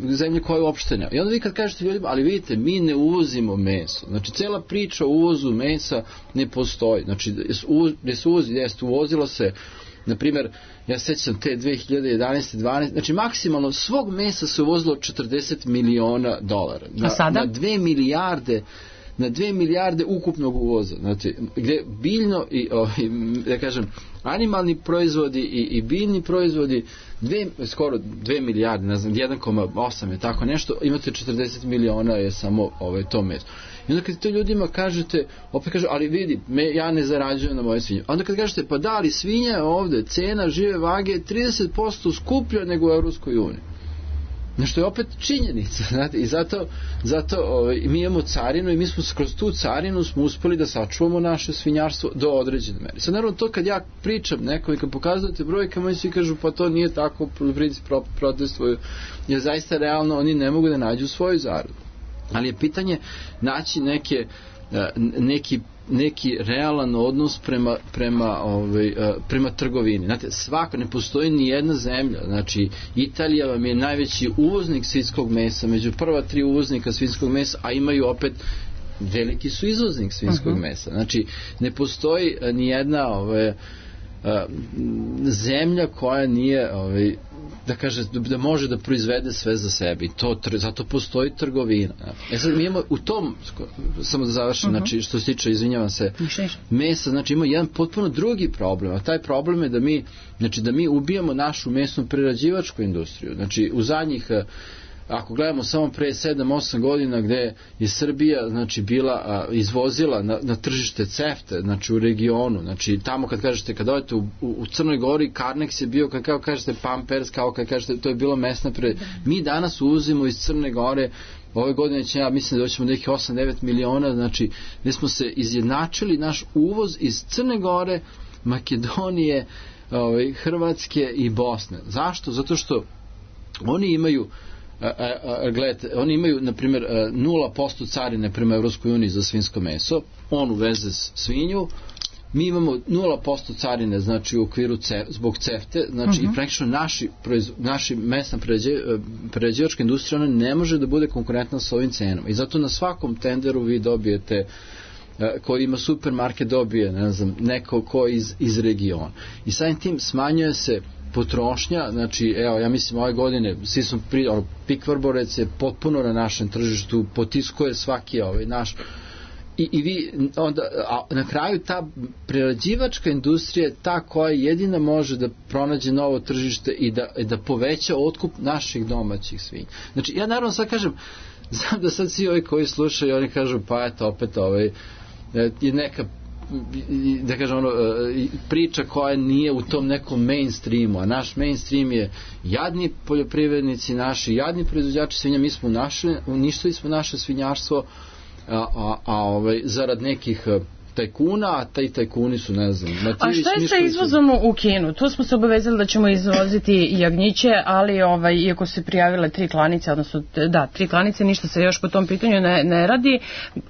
zemlje koje uopšte nema. I onda vi kad kažete ljudima, ali vidite, mi ne uvozimo meso. Znači cela priča o uvozu mesa ne postoji. Znači uvozilo se, na primjer, ja sećam te 2011. 12. Znači maksimalno svog mesa se uvozilo $40 miliona. A sada? Na 2 milijarde ukupnog uvoza. Znači, gde biljno i, da kažem, animalni proizvodi i biljni proizvodi skoro 2 milijarde, ne znam, 1,8 je tako nešto, imate 40 miliona je samo to meso. I onda kad to ljudima kažete, opet kažu, ali vidi, ja ne zarađujem na moje svinje. Onda kad kažete, pa da, ali svinja je ovde, cena žive vage je 30% skuplja nego u Evropskoj uniji. Nešto je opet činjenica, znate, i zato mi imamo carinu i mi smo kroz tu carinu smo uspeli da sačuvamo naše svinjarstvo do određene mere. Sad naravno to kad ja pričam nekom i kad pokazujete brojkama, svi kažu pa to nije tako, poljoprivrednici protestuju, jer zaista realno oni ne mogu da nađu svoju zaradu. Ali je pitanje naći neki realan odnos prema trgovini. Znate, svako, ne postoji ni jedna zemlja. Znači, Italija vam je najveći uvoznik svinjskog mesa, među prva 3 uvoznika svinjskog mesa, a imaju opet veliki su izvoznik svinjskog mesa. Znači, ne postoji ni jedna zemlja koja nije da kaže da može da proizvede sve za sebe i zato postoji trgovina. Sad mi imamo u tom, samo da završim, znači što se tiče, izvinjavam se, mesa, znači ima jedan potpuno drugi problem, a taj problem je da mi ubijamo našu mesnu prerađivačku industriju. Znači u zadnjih, ako gledamo samo pre 7-8 godina gde je Srbija znači bila izvozila na tržište CEFTA, znači u regionu, znači tamo kad kažete, kad odete u Crnoj Gori, Carnex je bio, kao kažete Pampers, kao kad kažete to je bilo mesna mi danas uvozimo iz Crne Gore, ove godine će, ja mislim da doćemo nekih 8-9 miliona, znači mi smo se izjednačili naš uvoz iz Crne Gore, Makedonije, Hrvatske i Bosne. Zašto? Zato što oni imaju gledajte, oni imaju na primjer 0% carine prema Evropskoj uniji za svinjsko meso, on uveze svinju, mi imamo 0% carine, znači u okviru zbog CEFTE, znači i praktično naši mesna prerađivačka industrija ona ne može da bude konkurentna sa ovim cenama i zato na svakom tenderu vi dobijete koji ima supermarket dobije, ne znam, neko ko iz regiona i samim tim smanjuje se potrošnja, znači evo ja mislim ove godine svi smo Pik Vrborec je potpuno na našem tržištu, potiskuje svaki naš i vi onda, a na kraju ta prerađivačka industrija je ta koja jedina može da pronađe novo tržište i da poveća otkup naših domaćih svinja. Znači ja naravno sad kažem, znam da sad svi ovi koji slušaju oni kažu pa eto opet je neka da kažem priča koja nije u tom nekom mainstreamu, a naš mainstream je jadni poljoprivrednici naši, jadni proizvođači svinja, mi smo uništili smo naše svinjarstvo zarad nekih tajkuna, a taj tajkuni su, ne znam, a šta je sa izvozom u Kinu? Tu smo se obavezali da ćemo izvoziti jagnjiće, ali iako se prijavile 3 klanice, odnosno 3 klanice, ništa se još po tom pitanju ne radi,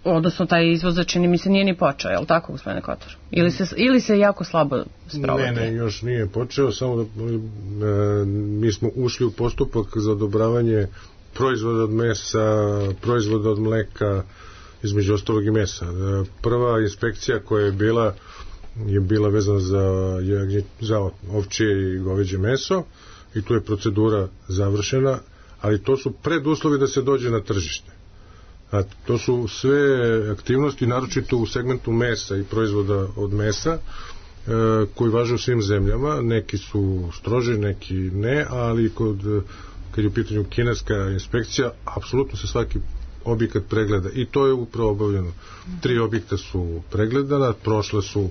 odnosno taj izvoz čini mi se nije ni počeo, je li tako, gospodine Kotor? Ili se jako slabo sprovodi? Ne, još nije počeo, samo da mi smo ušli u postupak za odobravanje proizvoda od mesa, proizvoda od mleka, između ostalog i mesa. Prva inspekcija koja je bila vezana za ovčje i goveđe meso i tu je procedura završena, ali to su preduslovi da se dođe na tržište. A to su sve aktivnosti, naročito u segmentu mesa i proizvoda od mesa, koji važe u svim zemljama. Neki su stroži, neki ne, ali kad je u pitanju kineska inspekcija, apsolutno se svaki objekat pregleda i to je upravo obavljeno. 3 objekta su pregledana, prošle su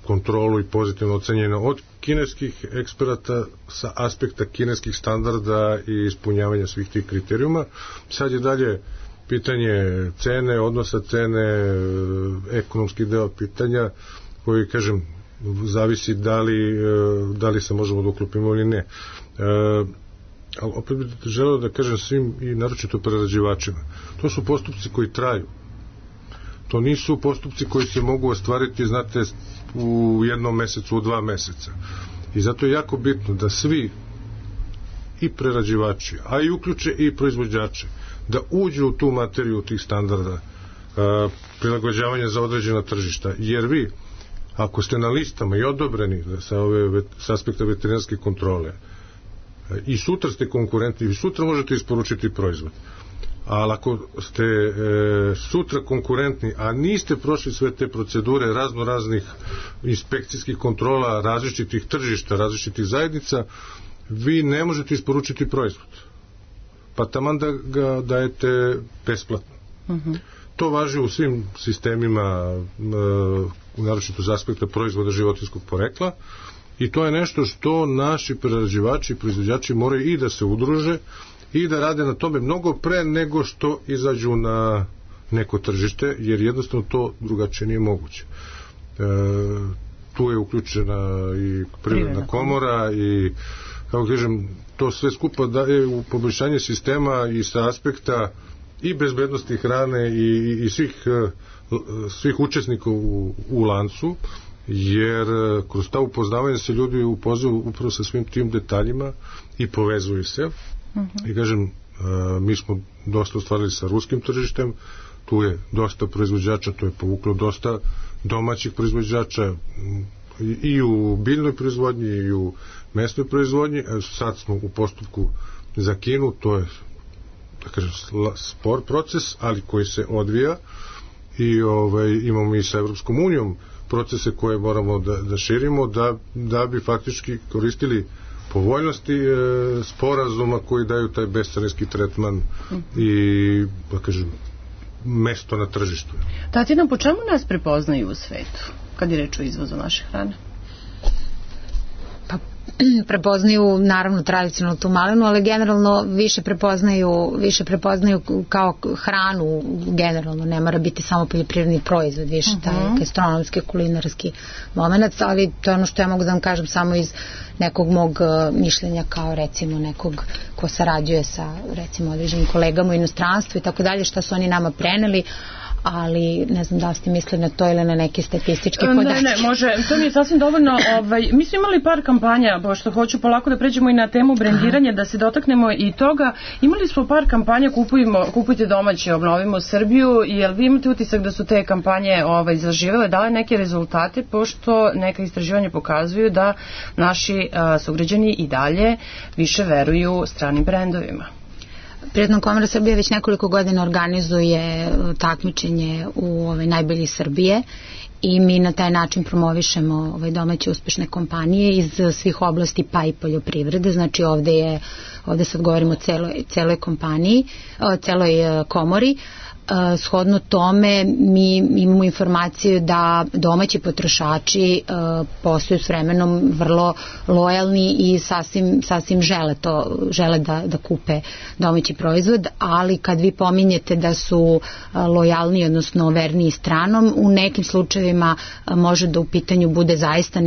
kontrolu i pozitivno ocenjena od kineskih eksperata sa aspekta kineskih standarda i ispunjavanja svih tih kriterijuma. Sad je dalje pitanje cene, odnosa cene, ekonomski deo pitanja koji, kažem, zavisi da li se možemo da uklopimo ili ne. Ali opet bih želeo da kažem svim i naročito prerađivačima, to su postupci koji traju, to nisu postupci koji se mogu ostvariti, znate, u 1 mesecu, u 2 meseca i zato je jako bitno da svi i prerađivači, a i uključe i proizvođače, da uđu u tu materiju tih standarda prilagođavanja za određena tržišta, jer vi ako ste na listama i odobreni sa aspekta veterinarske kontrole i sutra ste konkurentni i sutra možete isporučiti proizvod, ali ako ste sutra konkurentni a niste prošli sve te procedure raznih inspekcijskih kontrola različitih tržišta, različitih zajednica, vi ne možete isporučiti proizvod, pa taman da ga dajete besplatno. To važi u svim sistemima, naročito za aspekta proizvoda životinjskog porekla, i to je nešto što naši prerađivači i proizvođači moraju i da se udruže i da rade na tome mnogo pre nego što izađu na neko tržište, jer jednostavno to drugačije nije moguće. Tu je uključena i Privredna komora i, kako kažem, to sve skupa daje u poboljšanje sistema i sa aspekta i bezbednosti hrane i svih učesnika u lancu, jer kroz ta upoznavanja se ljudi upoznaju upravo sa svim tim detaljima i povezuju se. I kažem, mi smo dosta ostvarili sa ruskim tržištem, tu je dosta proizvođača, to je povuklo dosta domaćih proizvođača i u biljnoj proizvodnji i u mesnoj proizvodnji. Sad smo u postupku za Kinu, to je, da kažem, spor proces, ali koji se odvija, i imamo i sa Evropskom unijom procese koje moramo da širimo da bi faktički koristili povoljnosti sporazuma koji daju taj bescarinski tretman i, da kažem, mesto na tržištu. Tatjana, po čemu nas prepoznaju u svetu kad je reč o izvozu naše hrane? Pa prepoznaju naravno tradicionalnu tu malinu, ali generalno više prepoznaju kao hranu generalno, ne mora biti samo poljoprivredni proizvod, više taj gastronomski, kulinarski moment, ali to je ono što ja mogu da vam kažem samo iz nekog mog mišljenja kao recimo nekog ko sarađuje sa recimo određenim kolegama u inostranstvu i tako dalje, šta su oni nama preneli, ali ne znam da li ste mislili na to ili na neke statističke podatke. Ne, može, to mi je sasvim dovoljno. Mi smo imali par kampanja, pošto hoću polako da pređemo i na temu brendiranja, da se dotaknemo i toga. Imali smo par kampanja Kupujte domaće, obnovimo Srbiju. Jel vi imate utisak da su te kampanje zaživele, dale neke rezultate, pošto neka istraživanja pokazuju da naši sugrađani i dalje više veruju stranim brendovima? Privredna komora Srbije već nekoliko godina organizuje takmičenje u najbolji Srbije i mi na taj način promovišemo domaće uspešne kompanije iz svih oblasti pa i poljoprivrede. Znači ovde sad govorimo o celoj kompaniji, celoj komori. Shodno tome mi imamo informaciju da domaći potrošači postaju s vremenom vrlo lojalni i sasvim žele da kupe domaći proizvod, ali kad vi pominjete da su lojalni, odnosno verniji stranom, u nekim slučajevima može da u pitanju bude zaista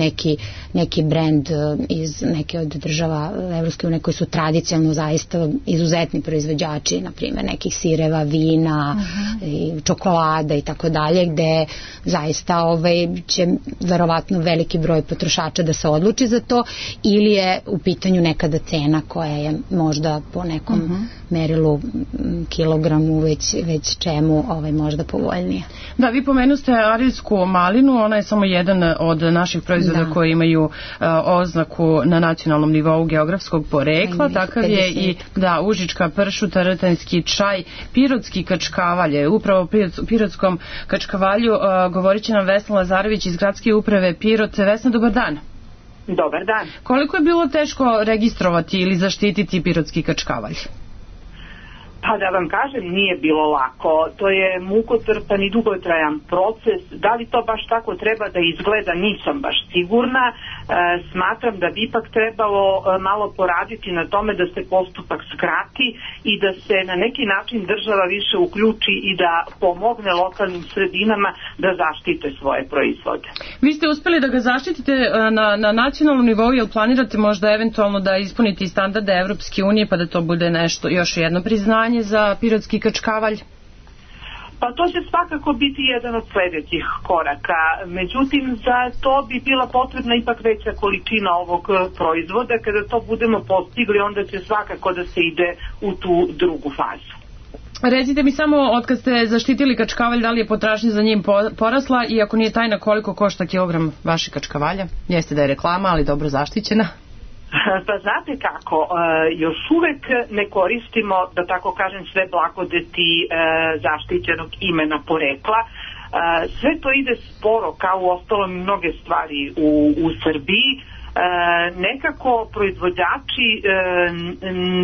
neki brend iz neke od država Evropske unije koji su tradicionalno zaista izuzetni proizvođači, na primjer nekih sireva, vina, i čokolada i tako dalje, gde zaista će verovatno veliki broj potrošača da se odluči za to, ili je u pitanju nekada cena koja je možda po nekom merilu kilogramu već čemu možda povoljnije. Da, vi pomenuste arilsku malinu, ona je samo jedan od naših proizvoda koji imaju oznaku na nacionalnom nivou geografskog porekla, takav je i užička pršuta, rtanjski čaj, pirotski kačkavalj. Upravo o pirotskom kačkavalju govorit će nam Vesna Lazarević iz gradske uprave Pirot. Vesna, dobar dan. Dobar dan. Koliko je bilo teško registrovati ili zaštititi pirotski kačkavalj? Pa da vam kažem, nije bilo lako. To je mukotrpan i dugotrajan proces. Da li to baš tako treba da izgleda, nisam baš sigurna. Smatram da bi ipak trebalo malo poraditi na tome da se postupak skrati i da se na neki način država više uključi i da pomogne lokalnim sredinama da zaštite svoje proizvode. Vi ste uspeli da ga zaštitite na nacionalnom nivou, jel planirate možda eventualno da ispunite standarde Evropske unije pa da to bude nešto, još jedno priznanje za pirotski kačkavalj? Pa to će svakako biti jedan od sledećih koraka. Međutim, za to bi bila potrebna ipak veća količina ovog proizvoda. Kada to budemo postigli, onda će svakako da se ide u tu drugu fazu. Recite mi samo, otkad ste zaštitili kačkavalj, da li je potražnja za njim porasla i ako nije tajna, koliko košta kilogram vašeg kačkavalja? Jeste da je reklama, ali dobro zaštićena. Pa znate kako, još uvek ne koristimo, da tako kažem, sve blagodeti zaštićenog imena porekla. Sve to ide sporo, kao u ostalom mnoge stvari u Srbiji. nekako proizvođači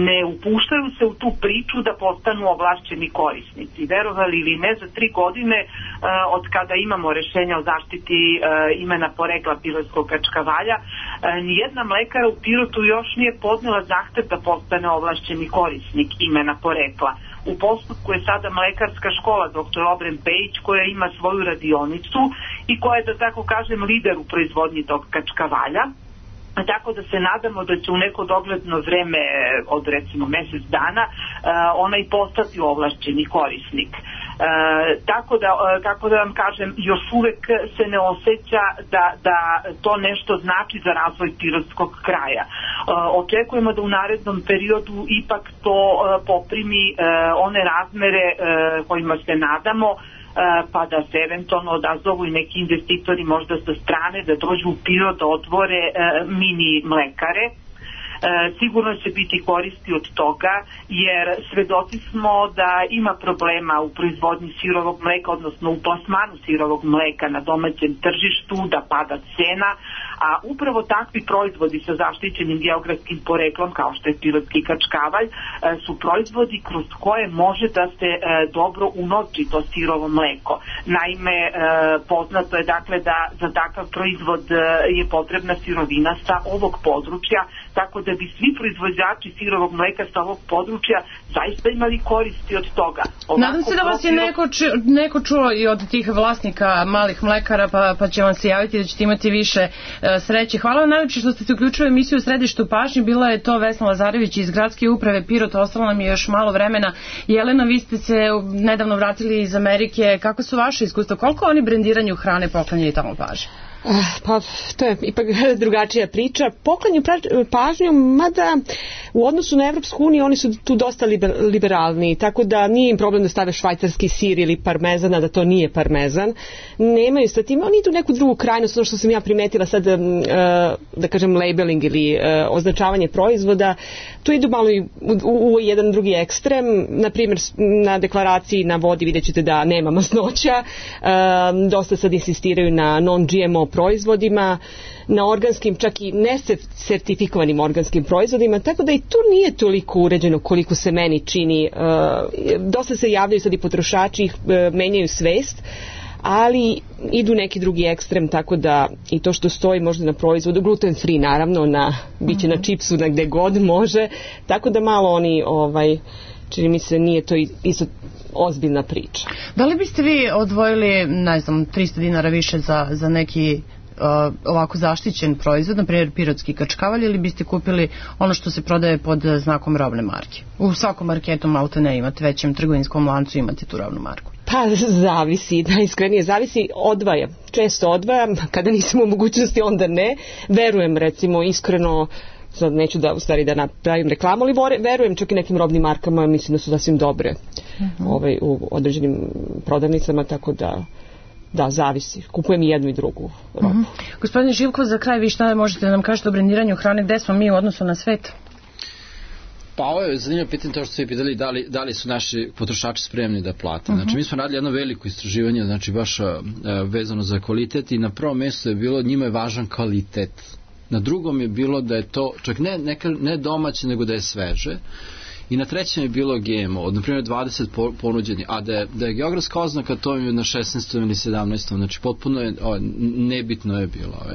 ne upuštaju se u tu priču da postanu ovlašćeni korisnici. Verovali ili ne, za 3 godine od kada imamo rešenja o zaštiti imena porekla pirotskog kačkavalja, nijedna mlekara u Pirotu još nije podnela zahtev da postane ovlašćeni korisnik imena porekla. U postupku je sada mlekarska škola dr. Obren Pejić, koja ima svoju radionicu i koja je, da tako kažem, lider u proizvodnji tog kačkavalja. Tako da se nadamo da će u neko dogledno vreme od recimo mesec dana ona i postati ovlašćeni korisnik. Kako da vam kažem, još uvek se ne osjeća da to nešto znači za razvoj pirotskog kraja. Očekujemo da u narednom periodu ipak to poprimi one razmere kojima se nadamo, pa da se eventualno odazovu i neki investitori možda sa strane da dođu u Pirot da otvore mini mlekare. Sigurno će biti koristi od toga, jer svedoci smo da ima problema u proizvodnji sirovog mleka, odnosno u plasmanu sirovog mleka na domaćem tržištu, da pada cena, a upravo takvi proizvodi sa zaštićenim geografskim poreklom, kao što je pirotski kačkavalj, su proizvodi kroz koje može da se dobro unovči to sirovo mleko. Naime, poznato je dakle da za takav proizvod je potrebna sirovina sa ovog područja, tako da bi svi proizvođači sirovog mleka sa ovog područja zaista imali koristi od toga. Nadam se da vas je neko čuo i od tih vlasnika malih mlekara, pa će vam se javiti da ćete imati više sreće. Hvala vam najlepše što ste se uključili u emisiju Središtu pažnje. Bila je to Vesna Lazarević iz Gradske uprave Pirot. Ostalo nam je još malo vremena. Jelena, vi ste se nedavno vratili iz Amerike. Kako su vaše iskustva? Koliko oni brendiranju hrane poklanjaju tamo pažnje? Pa to je ipak drugačija priča. Poklanju pažnju, mada u odnosu na Evropsku uniju oni su tu dosta liberalni, tako da nije im problem da stave švajcarski sir ili parmezan, a da to nije parmezan. Nemaju sa tim, oni idu neku drugu krajnost, ono što sam ja primetila sad, da kažem labeling ili označavanje proizvoda, tu idu malo u jedan drugi ekstrem. Na primjer, na deklaraciji na vodi vidjet ćete da nema masnoća, dosta sad insistiraju na non-GMO proizvodima, na organskim, čak i nesertifikovanim organskim proizvodima, tako da i tu nije toliko uređeno koliko se meni čini. Dosta se javljaju sad i potrošači, menjaju svest, ali idu neki drugi ekstrem, tako da i to što stoji možda na proizvodu, gluten free naravno, biće na čipsu, na gde god može, tako da malo oni, čini mi se, nije to isto ozbiljna priča. Da li biste vi odvojili, ne znam, 300 dinara više za neki ovako zaštićen proizvod, na primjer pirotski kačkavalj, ili biste kupili ono što se prodaje pod znakom robne marke? U svakom marketu malte ne imate, većem trgovinskom lancu imate tu robnu marku. Pa zavisi, najiskrenije zavisi, često odvajam, kada nisam u mogućnosti onda ne, verujem recimo iskreno, sad neću da napravim reklamu, ali verujem čak i nekim robnim markama, mislim da su sasvim dobre u određenim prodavnicama, tako da, zavisi. Kupujem i jednu i drugu robu. Gospodine Živkov, za kraj vi šta možete da nam kažete o brendiranju hrane, gde smo mi u odnosu na svet? Pa ovo je zanimljivo pitanje, to što ste pitali, da li su naši potrošači spremni da plate. Znači mi smo radili jedno veliko istraživanje, znači baš vezano za kvalitet, i na prvom mjestu je bilo, njima je važan kvalitet. Na drugom je bilo da je to čak ne domaće, nego da je sveže. I na trećem je bilo GMO, na primjer 20 ponuđeni, a da je geografska oznaka, to je na 16. ili 17. Znači potpuno je, nebitno je bilo.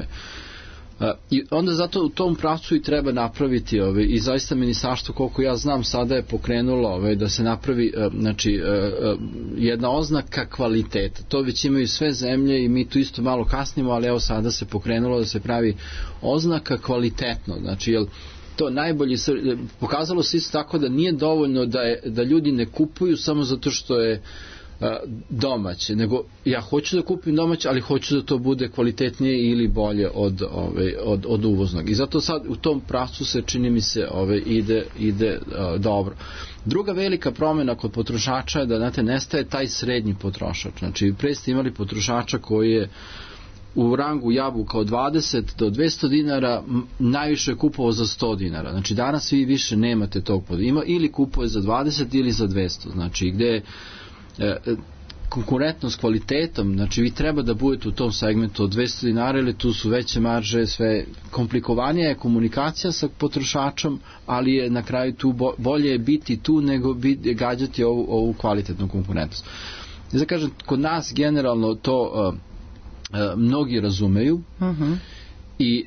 I onda zato u tom pravcu i treba napraviti i zaista ministarstvo, koliko ja znam, sada je pokrenulo da se napravi jedna oznaka kvaliteta. To već imaju sve zemlje i mi tu isto malo kasnimo, ali evo sada se pokrenulo da se pravi oznaka kvalitetno. Znači, to najbolje, pokazalo se isto tako da nije dovoljno da ljudi ne kupuju samo zato što je domaće, nego ja hoću da kupim domaće, ali hoću da to bude kvalitetnije ili bolje od uvoznog. I zato sad u tom pravcu se, čini mi se, ide dobro. Druga velika promjena kod potrošača je da, znate, nestaje taj srednji potrošač. Znači, pre ste imali potrošača koji je u rangu jabuka od 20 do 200 dinara, najviše je kupovao za 100 dinara. Znači, danas vi više nemate tog podijela. Ili kupuje za 20 ili za 200. Znači, gde konkurentnost kvalitetom, znači vi treba da budete u tom segmentu od 200 dinara ili tu su veće marže, sve komplikovanija je komunikacija sa potrošačom, ali je na kraju tu bolje je biti tu nego gađati ovu kvalitetnu konkurentnost. Da kažem, kod nas generalno to mnogi razumeju i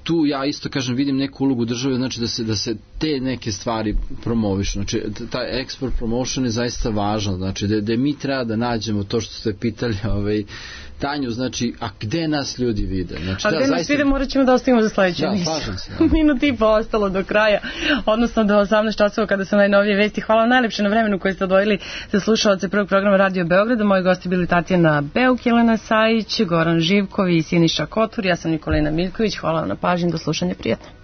tu ja isto kažem vidim neku ulogu države, znači da se te neke stvari promovišu, znači taj export promotion je zaista važan, znači da mi treba da nađemo to što ste pitali Tanju, znači, a gde nas ljudi vide? Znači, a gde nas vide morat ćemo da ostavimo za sledeću emisiju. Minut i po ostalo do kraja, odnosno do 18 časova kada su najnovije vesti. Hvala vam najlepše na vremenu koje ste odvojili za slušalce prvog programa Radio Beograda. Moji gosti bili Tatjana Beuk, Jelena Sajić, Goran Živkov i Siniša Kotur. Ja sam Nikolina Miljković. Hvala vam na pažnji. Do slušanja, prijatno.